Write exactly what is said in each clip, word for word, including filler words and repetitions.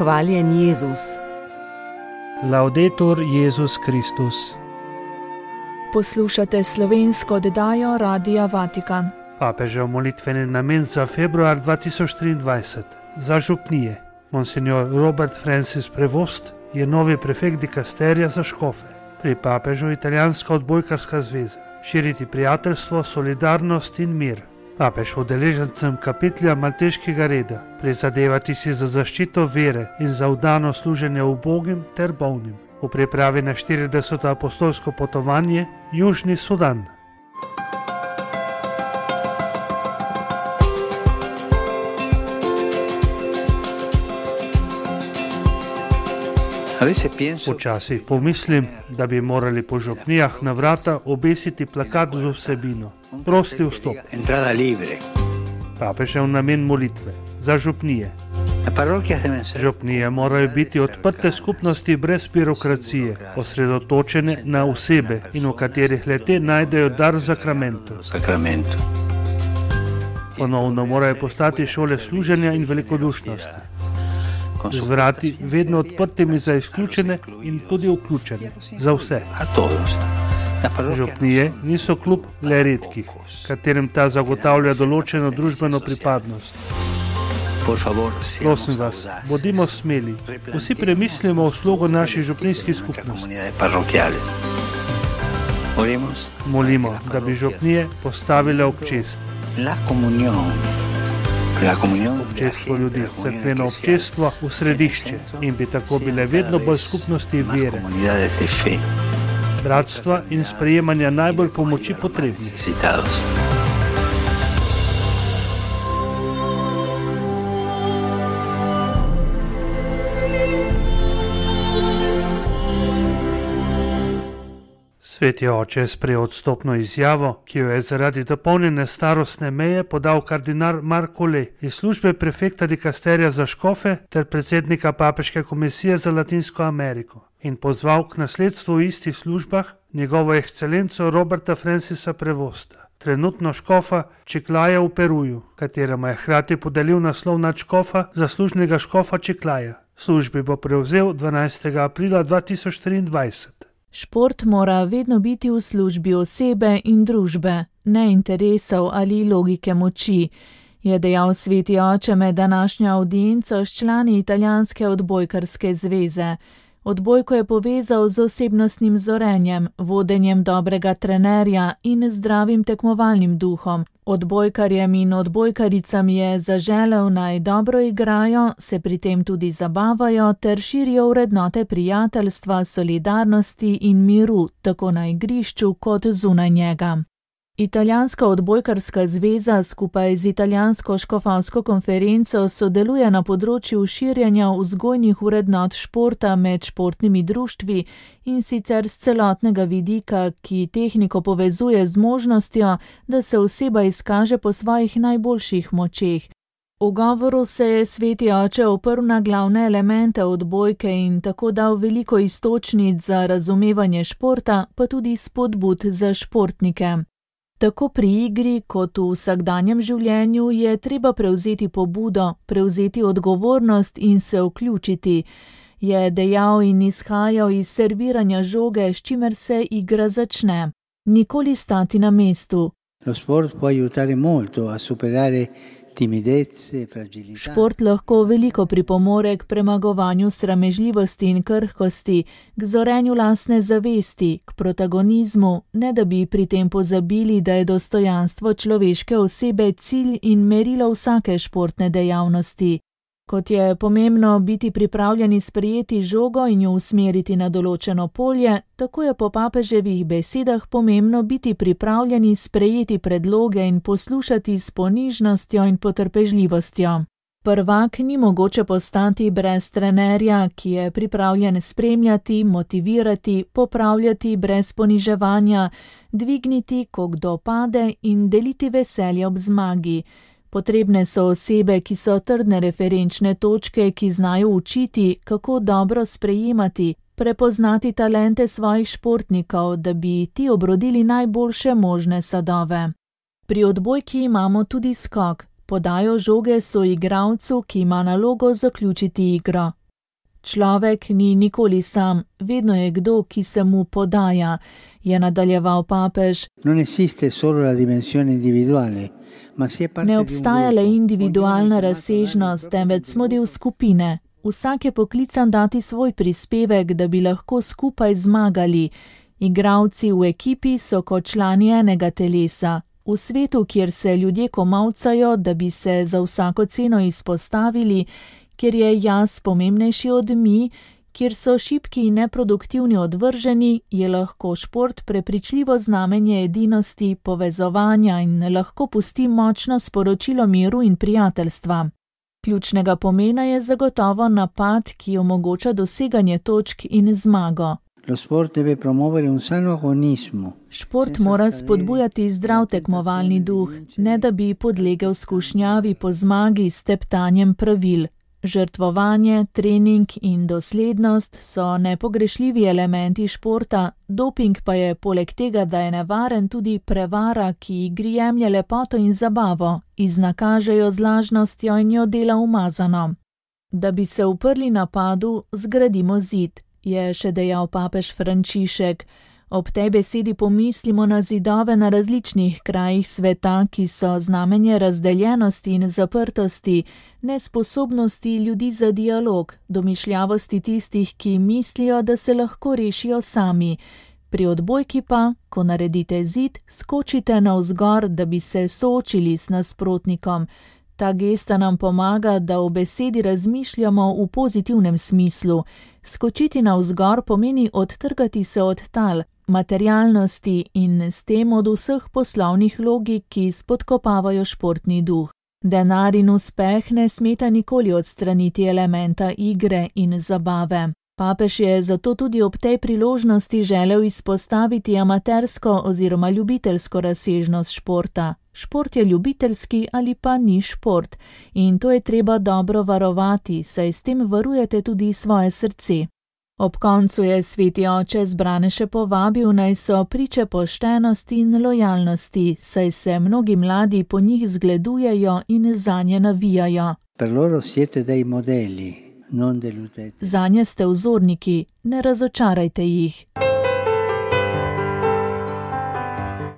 Hvaljen Jezus. Laudetur Jezus Kristus. Poslušate slovensko oddajo Radia Vatikan. Papežev molitveni namen za februar dva tisoč triindvajset za župnije. Monsignor Robert Francis Prevost je novi prefekt dikasterija za škofe. Pri papežu Italijanska odbojkarska zveza širiti prijateljstvo, solidarnost in mir. Papež udeležencem kapitelja Malteškega reda prizadevati si za zaščito vere in za vdano služenje ubogim ter bolnim. V pripravi na štirideseto apostolsko potovanje Južni Sudan. Včasih pomislim, da bi morali po župnijah na vrata obesiti plakat z vsebino prosti vstop. Papežev namen molitve za župnije. Župnije morajo biti odprte skupnosti brez birokracije, osredotočene na osebe in v katerih le-te najdejo dar zakramentov. Ponovno morajo postati šole služenja in velikodušnosti. Z vrati vedno odprtimi za izključene in tudi vključene, za vse. Župnije niso klub le redkih, katerim ta zagotavlja določeno družbeno pripadnost. Prosim vas, bodimo smeli, vsi premislimo o slogu naših župnijskih skupnosti. Molimo, da bi župnije postavile občest. Občestvo ljudi, cerkveno občestvo v središče in bi tako bile vedno bolj skupnosti vere, bratstva in sprejemanja najbolj pomoči potrebnih. Sveti oče je sprejel odstopno izjavo, ki jo je zaradi dopolnjene starostne meje podal kardinal Marko Le iz službe prefekta dikasterija za škofe ter predsednika Papeške komisije za Latinsko Ameriko in pozval k nasledstvu v istih službah njegovo ekscelenco Roberta Francisa Prevosta, trenutno škofa Čiklaja v Peruju, kateremu je hkrati podelil naslov nadškofa zaslužnega škofa Čiklaja. Službi bo prevzel dvanajstega aprila dva tisoč triindvajset. Šport mora vedno biti v službi osebe in družbe, ne interesov ali logike moči, je dejal sveti oče med današnjo avdienco s člani Italijanske odbojkarske zveze. Odbojko je povezal z osebnostnim zorenjem, vodenjem dobrega trenerja in zdravim tekmovalnim duhom. Odbojkarjem in odbojkaricam je zaželel naj dobro igrajo, se pri tem tudi zabavajo ter širijo vrednote prijateljstva, solidarnosti in miru, tako na igrišču kot zunaj njega. Italijanska odbojkarska zveza skupaj z Italijansko škofovsko konferenco sodeluje na področju širjenja vzgojnih vrednot športa med športnimi društvi in sicer z celotnega vidika, ki tehniko povezuje z možnostjo, da se oseba izkaže po svojih najboljših močeh. V govoru se je sveti oče oprl na glavne elemente odbojke in tako dal veliko iztočnic za razumevanje športa, pa tudi spodbud za športnike. Tako pri igri kot v vsakdanjem življenju je treba prevzeti pobudo, prevzeti odgovornost in se vključiti, je dejal in izhajal iz serviranja žoge, s čimer se igra začne. Nikoli stati na mestu. Šport lahko veliko pripomore k premagovanju sramežljivosti in krhkosti, k zorenju lastne zavesti, k protagonizmu, ne da bi pri tem pozabili, da je dostojanstvo človeške osebe cilj in merilo vsake športne dejavnosti. Kot je pomembno biti pripravljeni sprejeti žogo in jo usmeriti na določeno polje, tako je po papeževih besedah pomembno biti pripravljeni sprejeti predloge in poslušati s ponižnostjo in potrpežljivostjo. Prvak ni mogoče postati brez trenerja, ki je pripravljen spremljati, motivirati, popravljati brez poniževanja, dvigniti, ko kdo pade in deliti veselje ob zmagi. Potrebne so osebe, ki so trdne referenčne točke, ki znajo učiti, kako dobro sprejemati, prepoznati talente svojih športnikov, da bi ti obrodili najboljše možne sadove. Pri odbojki imamo tudi skok. Podajo žoge soigralcu, ki ima nalogo zaključiti igro. Človek ni nikoli sam, vedno je kdo, ki se mu podaja, je nadaljeval papež. Ne obstaja le individualna razsežnost, temveč smo del skupine. Vsak je poklican dati svoj prispevek, da bi lahko skupaj zmagali. Igralci v ekipi so kot člani enega telesa. V svetu, kjer se ljudje komavcajo, da bi se za vsako ceno izpostavili, kjer je jaz pomembnejši od mi, kjer so šibki in neproduktivni odvrženi, je lahko šport prepričljivo znamenje edinosti, povezovanja in lahko pusti močno sporočilo miru in prijateljstva. Ključnega pomena je zagotovo napad, ki omogoča doseganje točk in zmago. Šport mora spodbujati zdrav tekmovalni duh, ne da bi podlegel skušnjavi po zmagi s teptanjem pravil. Žrtvovanje, trening in doslednost so nepogrešljivi elementi športa, doping pa je poleg tega, da je nevaren, tudi prevara, ki igri jemlje lepoto in zabavo, iznakažejo z lažnostjo in jo dela umazano. Da bi se uprli napadu, zgradimo zid, je še dejal papež Frančišek. Ob tej besedi pomislimo na zidove na različnih krajih sveta, ki so znamenje razdeljenosti in zaprtosti, nesposobnosti ljudi za dialog, domišljavosti tistih, ki mislijo, da se lahko rešijo sami. Pri odbojki pa, ko naredite zid, skočite navzgor, da bi se soočili s nasprotnikom. Ta gesta nam pomaga, da v besedi razmišljamo v pozitivnem smislu. Skočiti navzgor pomeni odtrgati se od tal, materialnosti in s tem od vseh poslovnih logik, ki spodkopavajo športni duh. Denar in uspeh ne smeta nikoli odstraniti elementa igre in zabave. Papež je zato tudi ob tej priložnosti želel izpostaviti amatersko oziroma ljubiteljsko razsežnost športa. Šport je ljubiteljski ali pa ni šport in to je treba dobro varovati, saj s tem varujete tudi svoje srce. Ob koncu je sveti oče zbrane še povabil, naj so priče poštenosti in lojalnosti, saj se mnogi mladi po njih zgledujejo in zanje navijajo. Zanje ste vzorniki, ne razočarajte jih.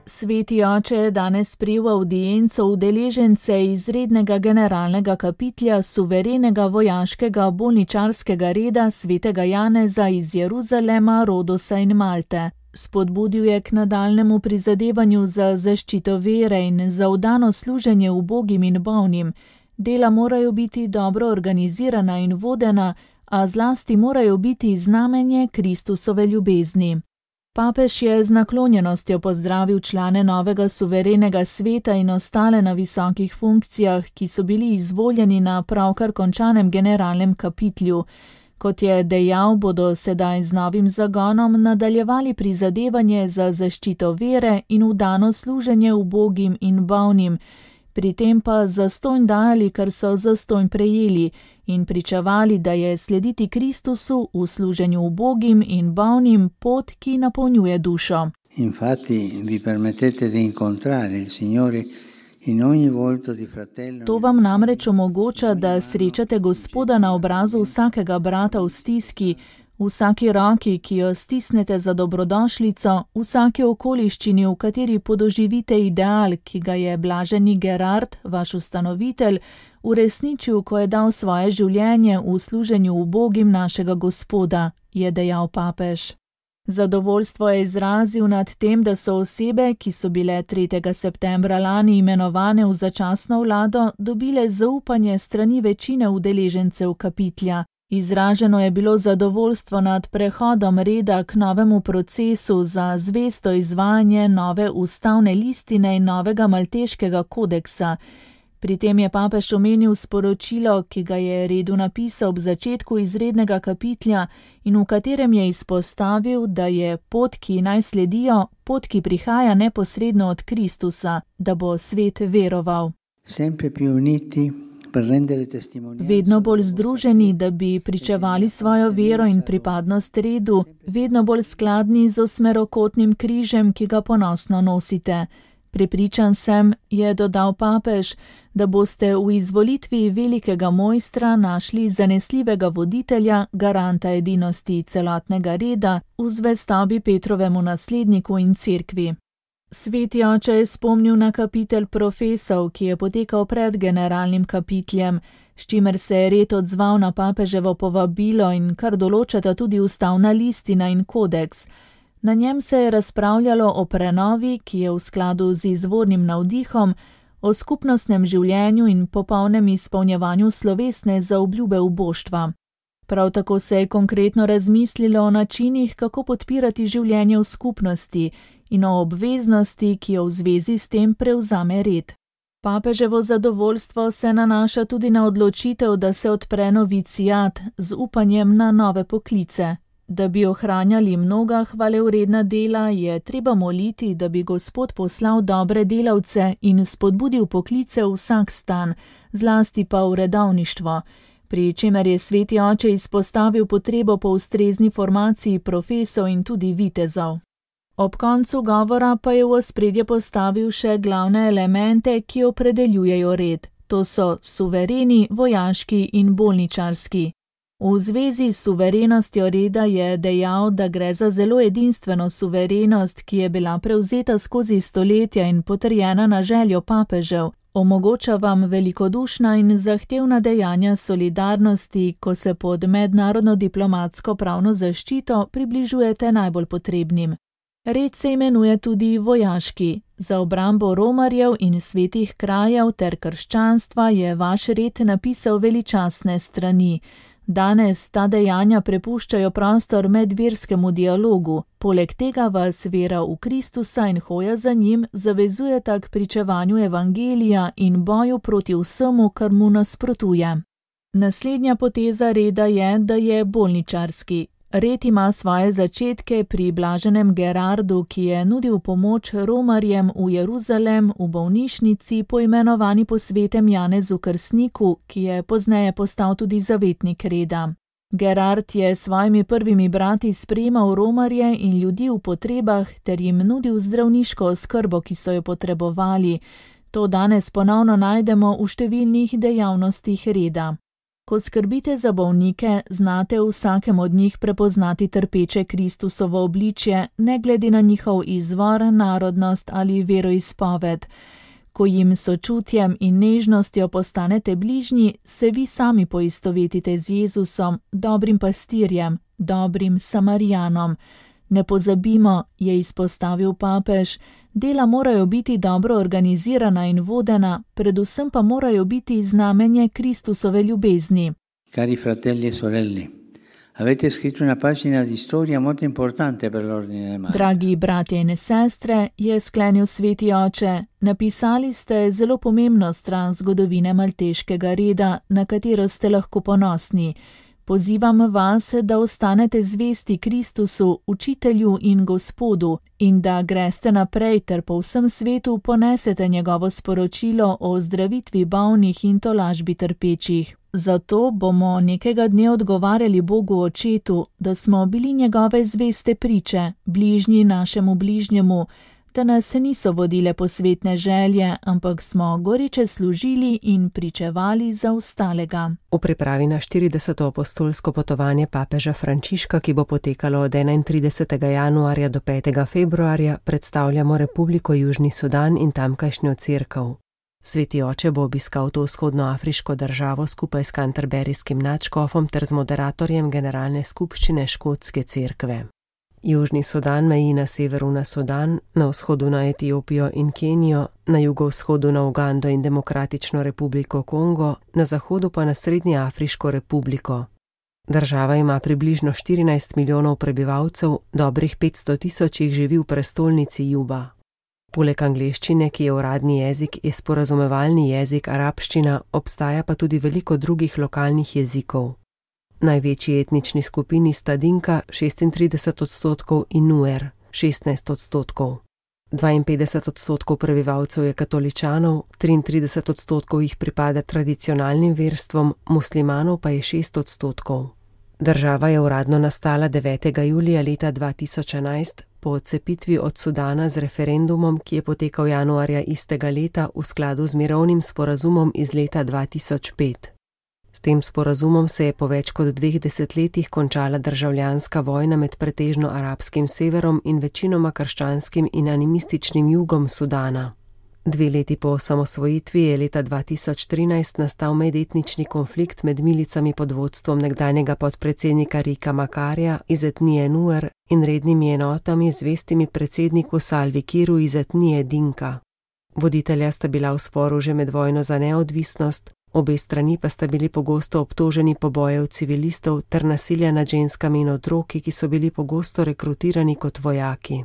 Sveti oče je danes prijel avdienco udeležence izrednega generalnega kapitlja suverenega vojaškega bolničarskega reda svetega Janeza iz Jeruzalema, Rodosa in Malte. Spodbudil je k nadaljnemu prizadevanju za zaščito vere in za vdano služenje ubogim in bolnim. Dela morajo biti dobro organizirana in vodena, a zlasti morajo biti znamenje Kristusove ljubezni. Papež je z naklonjenostjo pozdravil člane novega suverenega sveta in ostale na visokih funkcijah, ki so bili izvoljeni na pravkar končanem generalnem kapitlju. Kot je dejal, bodo sedaj z novim zagonom nadaljevali prizadevanje za zaščito vere in vdano služenje ubogim in bolnim, pri tem pa zastonj dajali, kar so zastonj prejeli, in pričevali, da je slediti Kristusu v služenju ubogim in bolnim pot, ki napolnjuje dušo. Infatti vi permettete di incontrare il Signore in ogni volto di fratello. To vam namreč omogoča, da srečate Gospoda na obrazu vsakega brata v stiski, v vsaki roki, ki jo stisnete za dobrodošlico, v vsaki okoliščini, v kateri podoživite ideal, ki ga je blaženi Gerard, vaš ustanovitelj, uresničil, ko je dal svoje življenje v služenju ubogim našega Gospoda, je dejal papež. Zadovoljstvo je izrazil nad tem, da so osebe, ki so bile tretjega septembra lani imenovane v začasno vlado, dobile zaupanje strani večine udeležencev kapitlja. Izraženo je bilo zadovoljstvo nad prehodom reda k novemu procesu za zvesto izvajanje nove ustavne listine in novega malteškega kodeksa. Pri tem je papež omenil sporočilo, ki ga je redu napisal ob začetku izrednega kapitlja in v katerem je izpostavil, da je pot, ki naj sledijo, pot, ki prihaja neposredno od Kristusa, da bo svet veroval. Sempre più uniti. Vedno bolj združeni, da bi pričevali svojo vero in pripadnost redu, vedno bolj skladni z osmerokotnim križem, ki ga ponosno nosite. Prepričan sem, je dodal papež, da boste v izvolitvi velikega mojstra našli zanesljivega voditelja, garanta edinosti celotnega reda, v zvestobi Petrovemu nasledniku in cerkvi. Sveti oče je spomnil na kapitel profesov, ki je potekal pred generalnim kapitljem, s čimer se je red odzval na papeževo povabilo in kar določata tudi ustavna listina in kodeks. Na njem se je razpravljalo o prenovi, ki je v skladu z izvornim navdihom, o skupnostnem življenju in popolnem izpolnjevanju slovesne zaobljube uboštva. Prav tako se je konkretno razmislilo o načinih, kako podpirati življenje v skupnosti in o obveznosti, ki jo v zvezi s tem prevzame red. Papeževo zadovoljstvo se nanaša tudi na odločitev, da se odpre novicijat z upanjem na nove poklice. Da bi ohranjali mnoga hvalevredna dela, je treba moliti, da bi Gospod poslal dobre delavce in spodbudil poklice v vsak stan, zlasti pa v redovništvo, pri čemer je sveti oče izpostavil potrebo po ustrezni formaciji profesov in tudi vitezov. Ob koncu govora pa je v ospredje postavil še glavne elemente, ki opredeljujejo red. To so suvereni, vojaški in bolničarski. V zvezi s suverenostjo reda je dejal, da gre za zelo edinstveno suverenost, ki je bila prevzeta skozi stoletja in potrjena na željo papežev. Omogoča vam velikodušna in zahtevna dejanja solidarnosti, ko se pod mednarodno diplomatsko pravno zaščito približujete najbolj potrebnim. Red se imenuje tudi vojaški. Za obrambo romarjev in svetih krajev ter krščanstva je vaš red napisal veličastne strani. Danes ta dejanja prepuščajo prostor medverskemu dialogu, poleg tega vas vera v Kristusa in hoja za njim zavezujeta k pričevanju evangelija in boju proti vsemu, kar mu nasprotuje. Naslednja poteza reda je, da je bolničarski. Red ima svoje začetke pri blaženem Gerardu, ki je nudil pomoč romarjem v Jeruzalem v bolnišnici, poimenovani po svetem Janezu Krstniku, ki je pozneje postal tudi zavetnik reda. Gerard je s svojimi prvimi brati sprejemal romarje in ljudi v potrebah ter jim nudil zdravniško oskrbo, ki so jo potrebovali. To danes ponovno najdemo v številnih dejavnostih reda. Ko skrbite za bolnike, znate v vsakem od njih prepoznati trpeče Kristusovo obličje, ne glede na njihov izvor, narodnost ali veroizpoved. Ko jim sočutjem in nežnostjo postanete bližnji, se vi sami poistovetite z Jezusom, dobrim pastirjem, dobrim Samarijanom. Ne pozabimo, je izpostavil papež, dela morajo biti dobro organizirana in vodena, predvsem pa morajo biti znamenje Kristusove ljubezni. Cari fratelli e sorelle, avete scritto una pagina di storia molto importante per l'ordine dei Martiri. Dragi bratje in sestre, je sklenil sveti oče, napisali ste zelo pomembno stran zgodovine malteškega reda, na katero ste lahko ponosni. Pozivam vas, da ostanete zvesti Kristusu, učitelju in Gospodu, in da greste naprej ter po vsem svetu ponesete njegovo sporočilo o zdravitvi bolnih in tolažbi trpečih. Zato bomo nekega dne odgovarjali Bogu Očetu, da smo bili njegove zveste priče, bližnji našemu bližnjemu, da nas niso vodile posvetne želje, ampak smo goriče služili in pričevali za ostalega. V pripravi na štirideseto apostolsko potovanje papeža Frančiška, ki bo potekalo od enaintridesetega januarja do petega februarja, predstavljamo Republiko Južni Sudan in tamkajšnjo cerkev. Sveti oče bo obiskal to vzhodnoafriško državo skupaj s kanterberijskim nadškofom ter z moderatorjem generalne skupščine škotske cerkve. Južni Sudan meji na severu na Sudan, na vzhodu na Etiopijo in Kenijo, na jugovzhodu na Ugando in Demokratično republiko Kongo, na zahodu pa na Srednjeafriško republiko. Država ima približno štirinajst milijonov prebivalcev, dobrih petsto tisoč jih živi v prestolnici Juba. Poleg angleščine, ki je uradni jezik, je sporazumevalni jezik arabščina, obstaja pa tudi veliko drugih lokalnih jezikov. Največji etnični skupini sta Dinka šestintrideset odstotkov in Nuer šestnajst odstotkov. dvainpetdeset odstotkov prebivalcev je katoličanov, triintrideset odstotkov jih pripada tradicionalnim verstvom, muslimanov pa je šest odstotkov. Država je uradno nastala devetega julija leta dva tisoč enajst, po odcepitvi od Sudana z referendumom, ki je potekal januarja istega leta v skladu z mirovnim sporazumom iz leta dva tisoč pet. S tem sporazumom se je po več kot dveh desetletjih končala državljanska vojna med pretežno arabskim severom in večinoma krščanskim in animističnim jugom Sudana. Dve leti po osamosvojitvi je leta dva tisoč trinajst nastal medetnični konflikt med milicami pod vodstvom nekdanjega podpredsednika Rika Makarja iz etnije Nuer in rednimi enotami zvestimi predsedniku Salvi Kiru iz etnije Dinka. Voditelja sta bila v sporu že med vojno za neodvisnost, obe strani pa sta bili pogosto obtoženi pobojev civilistov ter nasilja nad ženskami in otroki, ki so bili pogosto rekrutirani kot vojaki.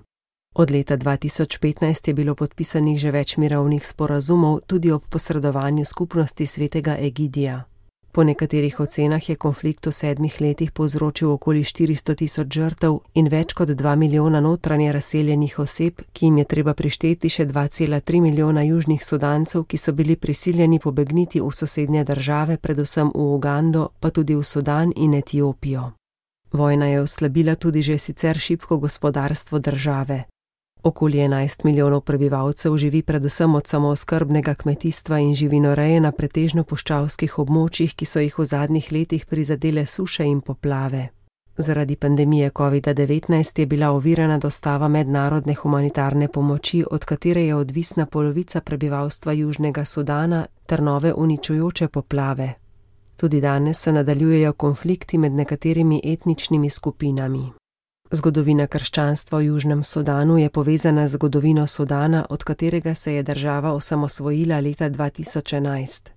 Od leta dva tisoč petnajst je bilo podpisanih že več mirovnih sporazumov tudi ob posredovanju skupnosti svetega Egidija. Po nekaterih ocenah je konflikt v sedmih letih povzročil okoli štiristo tisoč žrtev in več kot dva milijona notranje razseljenih oseb, ki jim je treba prišteti še dva cela tri milijona južnih Sudancev, ki so bili prisiljeni pobegniti v sosednje države, predvsem v Ugando, pa tudi v Sudan in Etiopijo. Vojna je oslabila tudi že sicer šibko gospodarstvo države. Okoli enajst milijonov prebivalcev živi predvsem od samooskrbnega kmetijstva in živinoreje na pretežno puščavskih območjih, ki so jih v zadnjih letih prizadele suše in poplave. Zaradi pandemije covida devetnajst je bila ovirana dostava mednarodne humanitarne pomoči, od katere je odvisna polovica prebivalstva Južnega Sudana, ter nove uničujoče poplave. Tudi danes se nadaljujejo konflikti med nekaterimi etničnimi skupinami. Zgodovina krščanstva v Južnem Sudanu je povezana z zgodovino Sudana, od katerega se je država osamosvojila leta dva tisoč enajst.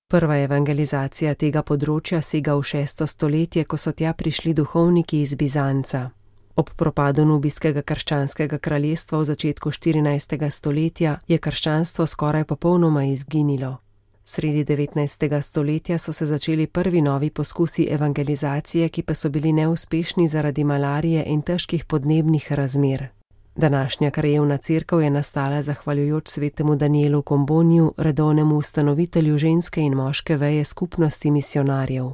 Prva evangelizacija tega področja sega v šesto stoletje, ko so tja prišli duhovniki iz Bizanca. Ob propadu nubijskega krščanskega kraljestva v začetku štirinajstega stoletja je krščanstvo skoraj popolnoma izginilo. Sredi devetnajstega stoletja so se začeli prvi novi poskusi evangelizacije, ki pa so bili neuspešni zaradi malarije in težkih podnebnih razmer. Današnja krajevna cerkev je nastala zahvaljujoč svetemu Danielu Komboniju, redovnemu ustanovitelju ženske in moške veje skupnosti misionarjev.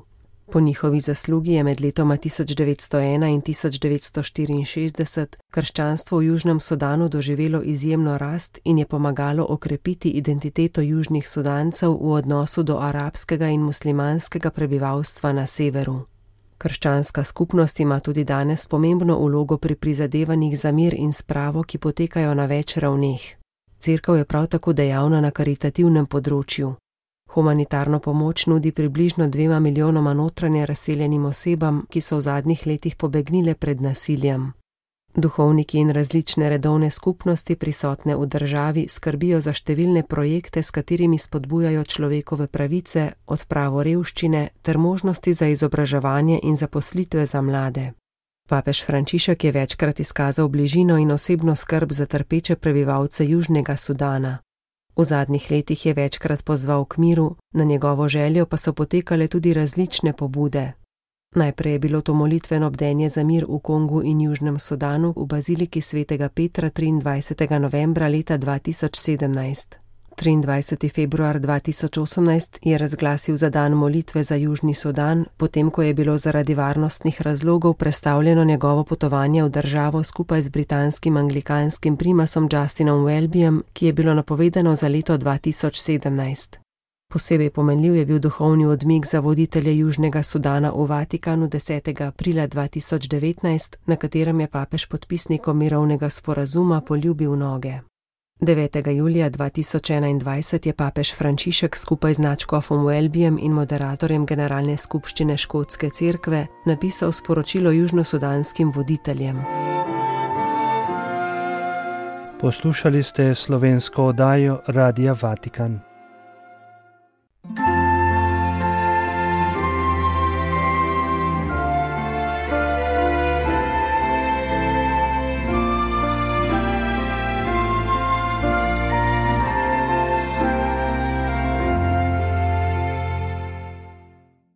Po njihovi zaslugi je med letoma tisoč devetsto ena in tisoč devetsto štiriinšestdeset krščanstvo v Južnem Sudanu doživelo izjemno rast in je pomagalo okrepiti identiteto južnih Sudancev v odnosu do arabskega in muslimanskega prebivalstva na severu. Krščanska skupnost ima tudi danes pomembno vlogo pri prizadevanjih za mir in spravo, ki potekajo na več ravneh. Cerkev je prav tako dejavna na karitativnem področju. Humanitarno pomoč nudi približno dvema milijonoma notranje razseljenim osebam, ki so v zadnjih letih pobegnile pred nasiljem. Duhovniki in različne redovne skupnosti prisotne v državi skrbijo za številne projekte, s katerimi spodbujajo človekove pravice, odpravo revščine ter možnosti za izobraževanje in zaposlitve za mlade. Papež Frančišek je večkrat izkazal bližino in osebno skrb za trpeče prebivalce Južnega Sudana. V zadnjih letih je večkrat pozval k miru, na njegovo željo pa so potekale tudi različne pobude. Najprej je bilo to molitveno bdenje za mir v Kongu in Južnem Sudanu v baziliki svetega Petra triindvajsetega novembra leta dva tisoč sedemnajst. triindvajseti februar dva tisoč osemnajst je razglasil za dan molitve za Južni Sudan, potem ko je bilo zaradi varnostnih razlogov prestavljeno njegovo potovanje v državo skupaj z britanskim anglikanskim primasom Justinom Welbyjem, ki je bilo napovedano za leto dva tisoč sedemnajst. Posebej pomenljiv je bil duhovni odmik za voditelje Južnega Sudana v Vatikanu desetega aprila dva tisoč devetnajst, na katerem je papež podpisnikom mirovnega sporazuma poljubil noge. devetega julija dva tisoč enaindvajset je papež Frančišek skupaj z nadškofom Welbyjem in moderatorjem Generalne skupščine Škotske cerkve napisal sporočilo južnosudanskim voditeljem. Poslušali ste slovensko oddajo Radia Vatikan.